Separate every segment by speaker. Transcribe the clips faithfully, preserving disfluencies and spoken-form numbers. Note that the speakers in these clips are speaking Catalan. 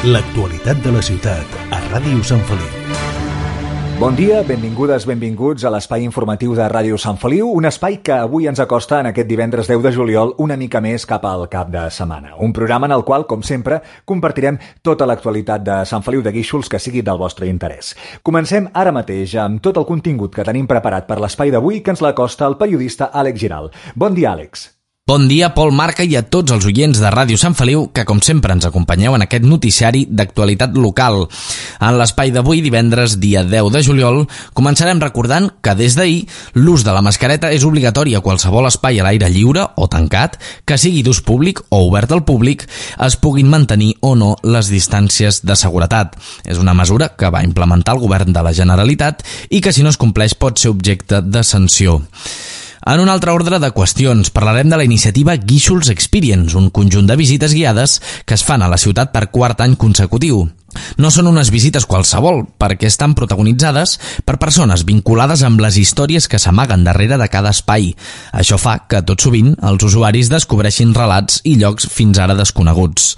Speaker 1: L'actualitat de la ciutat a Ràdio Sant Feliu.
Speaker 2: Bon dia, benvingudes, benvinguts a l'espai informatiu de Ràdio Sant Feliu, un espai que avui ens acosta en aquest divendres deu de juliol una mica més cap al cap de setmana. Un programa en el qual, com sempre, compartirem tota l'actualitat de Sant Feliu de Guíxols que sigui del vostre interès. Comencem ara mateix amb tot el contingut que tenim preparat per l'espai d'avui que ens l'acosta el periodista Àlex Giral. Bon dia, Àlex.
Speaker 3: Bon dia, Pol Marca, i a tots els oients de Ràdio Sant Feliu que, com sempre, ens acompanyeu en aquest noticiari d'actualitat local. En l'espai d'avui, divendres, dia deu de juliol, començarem recordant que des d'ahir l'ús de la mascareta és obligatori a qualsevol espai a l'aire lliure o tancat, que sigui d'ús públic o obert al públic, es puguin mantenir o no les distàncies de seguretat. És una mesura que va implementar el govern de la Generalitat i que, si no es compleix, pot ser objecte de sanció. En un altre ordre de qüestions, parlarem de la iniciativa Guíxols Experience, un conjunt de visites guiades que es fan a la ciutat per quart any consecutiu. No són unes visites qualsevol, perquè estan protagonitzades per persones vinculades amb les històries que s'amaguen darrere de cada espai. Això fa que, tot sovint, els usuaris descobreixin relats i llocs fins ara desconeguts.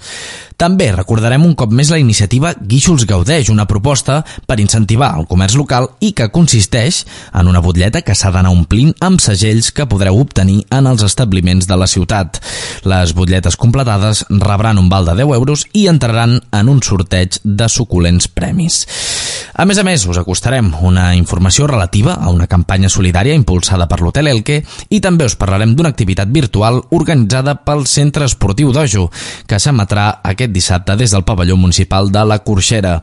Speaker 3: També recordarem un cop més la iniciativa Guíxols Gaudeix, una proposta per incentivar el comerç local i que consisteix en una butlleta que s'ha d'anar omplint amb segells que podreu obtenir en els establiments de la ciutat. Les butlletes completades rebran un val de deu euros i entraran en un sorteig de suculents premis. A més a més, us acostarem una informació relativa a una campanya solidària impulsada per l'Hotel Elke i també us parlarem d'una activitat virtual organitzada pel Centre Esportiu Dojo, que s'emetrà aquest dissabte des del pavelló municipal de la Corxera.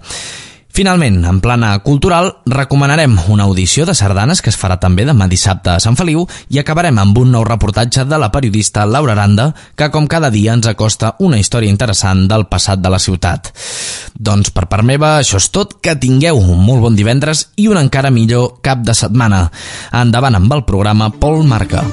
Speaker 3: Finalment, en plana cultural, recomanarem una audició de sardanes que es farà també demà dissabte a Sant Feliu i acabarem amb un nou reportatge de la periodista Laura Aranda, que com cada dia ens acosta una història interessant del passat de la ciutat. Doncs per part meva, això és tot, que tingueu un molt bon divendres i un encara millor cap de setmana. Endavant amb el programa Pol Marca.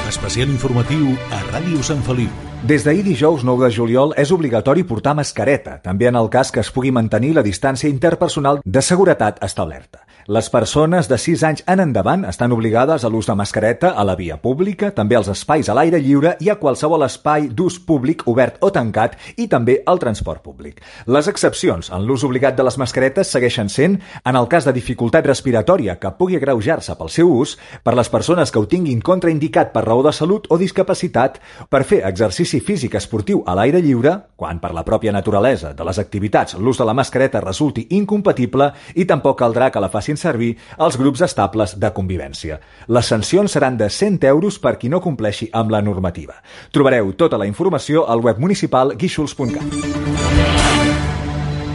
Speaker 1: Especial informatiu a Ràdio Sant Feliu.
Speaker 2: Des d'ahir dijous nou de juliol és obligatori portar mascareta, també en el cas que es pugui mantenir la distància interpersonal de seguretat establerta. Les persones de sis anys en endavant estan obligades a l'ús de mascareta a la via pública, també als espais a l'aire lliure i a qualsevol espai d'ús públic obert o tancat i també al transport públic. Les excepcions en l'ús obligat de les mascaretes segueixen sent en el cas de dificultat respiratòria que pugui agreujar-se pel seu ús, per les persones que ho tinguin contraindicat per raó de salut o discapacitat, per fer exercici físic esportiu a l'aire lliure, quan per la pròpia naturalesa de les activitats l'ús de la mascareta resulti incompatible, i tampoc caldrà que la facin servir els grups estables de convivència. Les sancions seran de cent euros per qui no compleixi amb la normativa. Trobareu tota la informació al web municipal guíxols punt cat.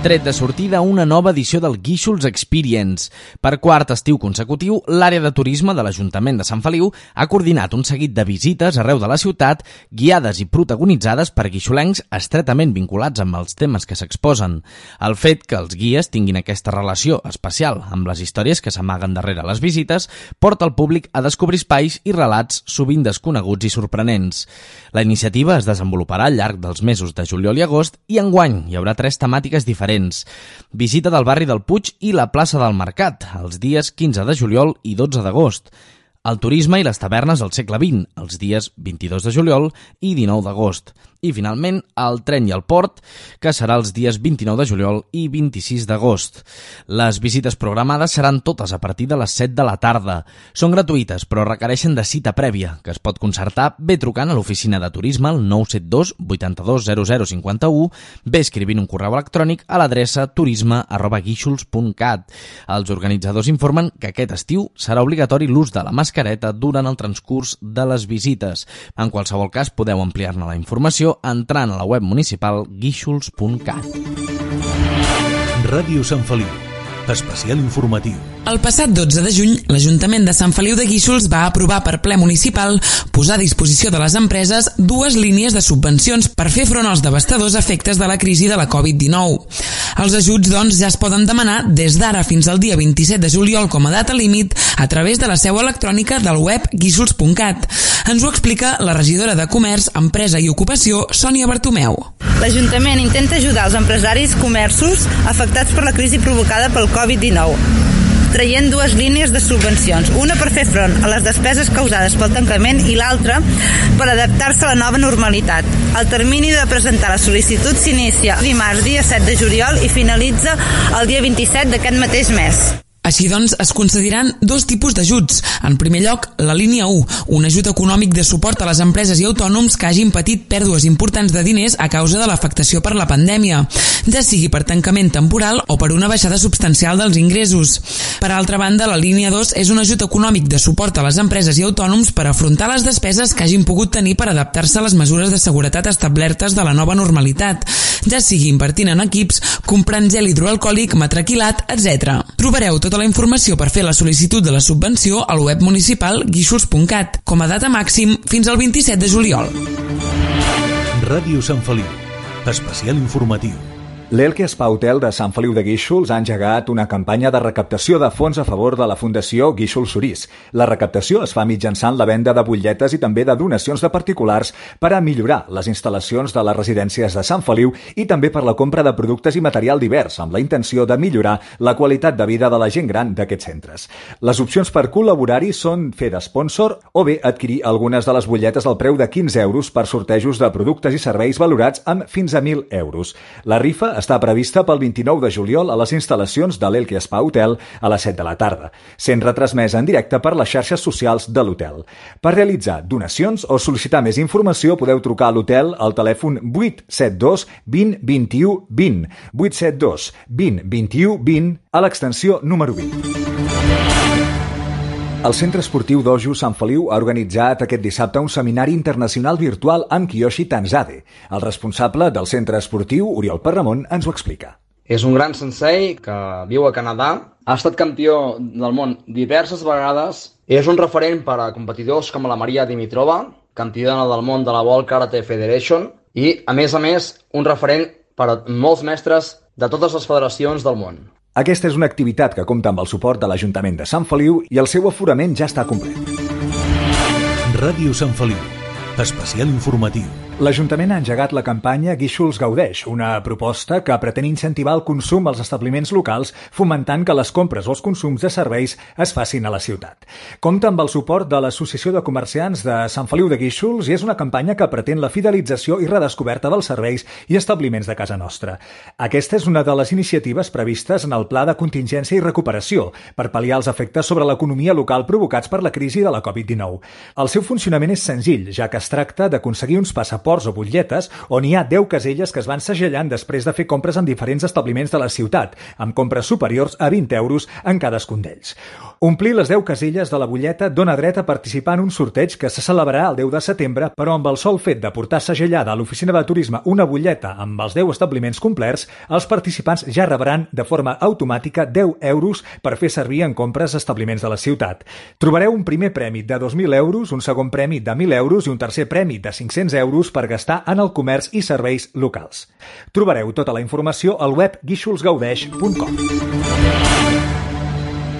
Speaker 3: Tret de sortida una nova edició del Guíxols Experience. Per quart estiu consecutiu, l'àrea de turisme de l'Ajuntament de Sant Feliu ha coordinat un seguit de visites arreu de la ciutat, guiades i protagonitzades per guixolencs estretament vinculats amb els temes que s'exposen. El fet que els guies tinguin aquesta relació especial amb les històries que s'amaguen darrere les visites porta el públic a descobrir espais i relats sovint desconeguts i sorprenents. La iniciativa es desenvoluparà al llarg dels mesos de juliol i agost i enguany hi haurà tres temàtiques diferents. Visita del barri del Puig i la plaça del Mercat, els dies quinze de juliol i dotze d'agost. El turisme i les tavernes del segle vint, els dies vint-i-dos de juliol i dinou d'agost. I, finalment, el tren i el port, que serà els dies vint-i-nou de juliol i vint-i-sis d'agost. Les visites programades seran totes a partir de les set de la tarda. Són gratuïtes, però requereixen de cita prèvia, que es pot concertar bé trucant a l'oficina de turisme al nou set dos vuitanta-dos zero zero cinquanta-u, bé escrivint un correu electrònic a l'adreça turisme arroba guíxols punt cat. Els organitzadors informen que aquest estiu serà obligatori l'ús de la mascareta durant el transcurs de les visites. En qualsevol cas, podeu ampliar-ne la informació entrant a la web municipal guíxols punt cat.
Speaker 1: Ràdio Sant Feliu. Especial informatiu.
Speaker 4: El passat dotze de juny, l'Ajuntament de Sant Feliu de Guíxols va aprovar per ple municipal posar a disposició de les empreses dues línies de subvencions per fer front als devastadors efectes de la crisi de la covid dinou. Els ajuts, doncs, ja es poden demanar des d'ara fins al dia vint-i-set de juliol com a data límit a través de la seu electrònica del web guíxols punt cat. Ens ho explica la regidora de Comerç, Empresa i Ocupació, Sònia Bartomeu.
Speaker 5: L'Ajuntament intenta ajudar els empresaris comerços afectats per la crisi provocada pel covid dinou. traient dues línies de subvencions, una per fer front a les despeses causades pel tancament i l'altra per adaptar-se a la nova normalitat. El termini de presentar la sol·licitud s'inicia dimarts, dia set de juliol, i finalitza el dia vint-i-set d'aquest mateix mes.
Speaker 4: Així doncs, es concediran dos tipus d'ajuts. En primer lloc, la línia u, un ajut econòmic de suport a les empreses i autònoms que hagin patit pèrdues importants de diners a causa de l'afectació per la pandèmia, ja sigui per tancament temporal o per una baixada substancial dels ingressos. Per altra banda, la línia dos és un ajut econòmic de suport a les empreses i autònoms per afrontar les despeses que hagin pogut tenir per adaptar-se a les mesures de seguretat establertes de la nova normalitat, ja sigui invertint en equips, comprant gel hidroalcohòlic, matraquilat, etcètera. Trobareu tota la informació per fer la sol·licitud de la subvenció al web municipal guíxols punt cat, com a data màxim fins al vint-i-set de juliol.
Speaker 1: Ràdio Sant Feliu, especial informatiu.
Speaker 2: L'Elke Spa Hotel de Sant Feliu de Guíxols ha engegat una campanya de recaptació de fons a favor de la Fundació Guíxols Sorís. La recaptació es fa mitjançant la venda de butlletes i també de donacions de particulars per a millorar les instal·lacions de les residències de Sant Feliu i també per la compra de productes i material divers, amb la intenció de millorar la qualitat de vida de la gent gran d'aquests centres. Les opcions per col·laborar-hi són fer d'espònsor o bé adquirir algunes de les butlletes al preu de quinze euros per sortejos de productes i serveis valorats amb fins a mil euros. La rifa està prevista pel vint-i-nou de juliol a les instal·lacions de l'Elke Spa Hotel a les set de la tarda, sent retransmesa en directe per les xarxes socials de l'hotel. Per realitzar donacions o sol·licitar més informació podeu trucar a l'hotel al telèfon vuit set dos vint vint-i-u vint, vuit set dos vint vint-i-u vint a l'extensió número vint. El Centre Esportiu Dojo Sant Feliu ha organitzat aquest dissabte un seminari internacional virtual amb Kiyoshi Tanzade. El responsable del centre esportiu, Oriol Perramon, ens ho explica.
Speaker 6: És un gran sensei que viu a Canadà, ha estat campió del món diverses vegades, és un referent per a competidors com la Maria Dimitrova, campiona del món de la World Karate Federation, i, a més a més, un referent per a molts mestres de totes les federacions del món.
Speaker 2: Aquesta és una activitat que compta amb el suport de l'Ajuntament de Sant Feliu i el seu aforament ja està complet.
Speaker 1: Ràdio Sant Feliu, especial informatiu.
Speaker 2: L'Ajuntament ha engegat la campanya Guíxols Gaudeix, una proposta que pretén incentivar el consum als establiments locals, fomentant que les compres o els consums de serveis es facin a la ciutat. Compta amb el suport de l'Associació de Comerciants de Sant Feliu de Guíxols i és una campanya que pretén la fidelització i redescoberta dels serveis i establiments de casa nostra. Aquesta és una de les iniciatives previstes en el Pla de Contingència i Recuperació per pal·liar els efectes sobre l'economia local provocats per la crisi de la covid dinou. El seu funcionament és senzill, ja que es tracta d'aconseguir uns passaports o butlletes on hi ha deu caselles que es van segellant després de fer compres en diferents establiments de la ciutat, amb compres superiors a vint euros en cadascun d'ells. Omplir les deu caselles de la butlleta dona dret a participar en un sorteig que se celebrarà el deu de setembre, però amb el sol fet de portar segellada a l'oficina de turisme una butlleta amb els deu establiments complerts, els participants ja rebran de forma automàtica deu euros per fer servir en compres a establiments de la ciutat. Trobareu un primer premi de dos mil euros, un segon premi de mil euros i un tercer premi de cinc-cents euros per gastar en el comerç i serveis locals. Trobareu tota la informació al web guíxols gaudeix punt com.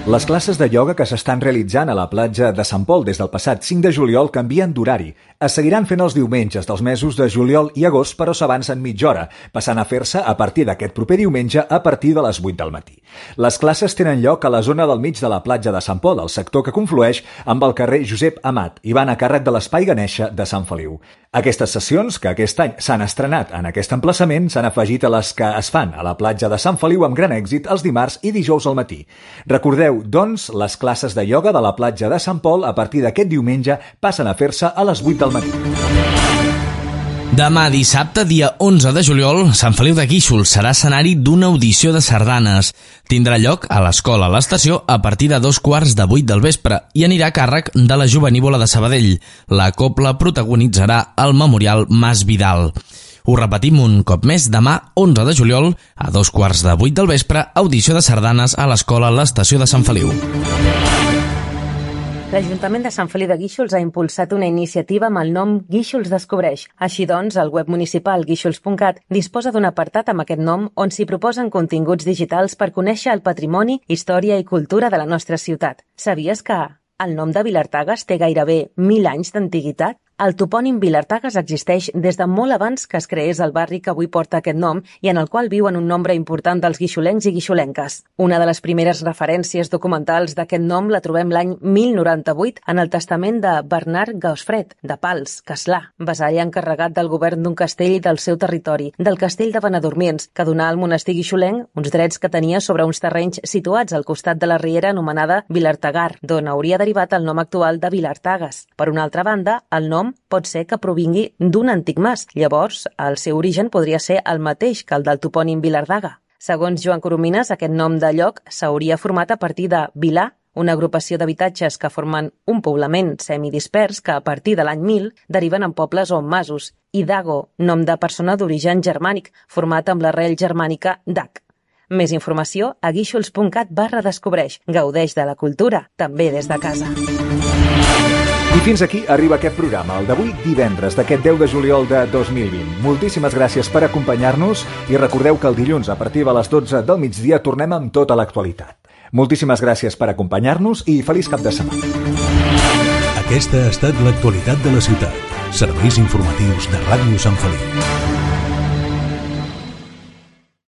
Speaker 2: Les classes de ioga que s'estan realitzant a la platja de Sant Pol des del passat cinc de juliol canvien d'horari. Es seguiran fent els diumenges dels mesos de juliol i agost, però s'avancen mitja hora, passant a fer-se a partir d'aquest proper diumenge a partir de les vuit del matí. Les classes tenen lloc a la zona del mig de la platja de Sant Pol, el sector que conflueix amb el carrer Josep Amat, i van a càrrec de l'Espai Ganesha de Sant Feliu. Aquestes sessions, que aquest any s'han estrenat en aquest emplaçament, s'han afegit a les que es fan a la platja de Sant Feliu amb gran èxit els dimarts i dijous al matí. Recordeu, doncs, les classes de ioga de la platja de Sant Pol a partir d'aquest diumenge passen a fer-se a les vuit del matí.
Speaker 3: Demà dissabte, dia onze de juliol, Sant Feliu de Guíxols serà escenari d'una audició de sardanes. Tindrà lloc a l'escola a l'estació a partir de dos quarts de vuit del vespre i anirà a càrrec de la Jovenívola de Sabadell. La cobla protagonitzarà el Memorial Mas Vidal. Ho repetim un cop més, demà onze de juliol, a dos quarts de vuit del vespre, audició de sardanes a l'escola a l'estació de Sant Feliu.
Speaker 7: L'Ajuntament de Sant Feliu de Guíxols ha impulsat una iniciativa amb el nom Guíxols Descobreix. Així doncs, el web municipal guíxols punt cat disposa d'un apartat amb aquest nom on s'hi proposen continguts digitals per conèixer el patrimoni, història i cultura de la nostra ciutat. Sabies que el nom de Vilartagas té gairebé mil anys d'antiguitat? El topònim Vilartagas existeix des de molt abans que es creés el barri que avui porta aquest nom i en el qual viuen un nombre important dels guixolencs i guixolenques. Una de les primeres referències documentals d'aquest nom la trobem l'any mil noranta-vuit en el testament de Bernard Gausfred, de Pals, Castlà, vasall encarregat del govern d'un castell del seu territori, del castell de Benedormiens, que donà al monestir guixolenc uns drets que tenia sobre uns terrenys situats al costat de la riera anomenada Vilartagar, d'on hauria derivat el nom actual de Vilartagas. Per una altra banda, el nom pot ser que provingui d'un antic mas. Llavors, el seu origen podria ser el mateix que el del topònim Vilardaga. Segons Joan Coromines, aquest nom de lloc s'hauria format a partir de Vilà, una agrupació d'habitatges que formen un poblament semidispers que a partir de l'any mil deriven en pobles o en masos, i Dago, nom de persona d'origen germànic, format amb l'arrel germànica dag. Més informació a guíxols.cat barra descobreix. Gaudeix de la cultura, també des de casa.
Speaker 2: I fins aquí arriba aquest programa, el d'avui divendres d'aquest deu de juliol de dos mil vint. Moltíssimes gràcies per acompanyar-nos i recordeu que el dilluns a partir de les dotze del migdia tornem amb tota l'actualitat. Moltíssimes gràcies per acompanyar-nos i feliç cap de setmana.
Speaker 1: Aquesta ha estat l'actualitat de la ciutat. Serveis informatius de Ràdio Sant Feliu.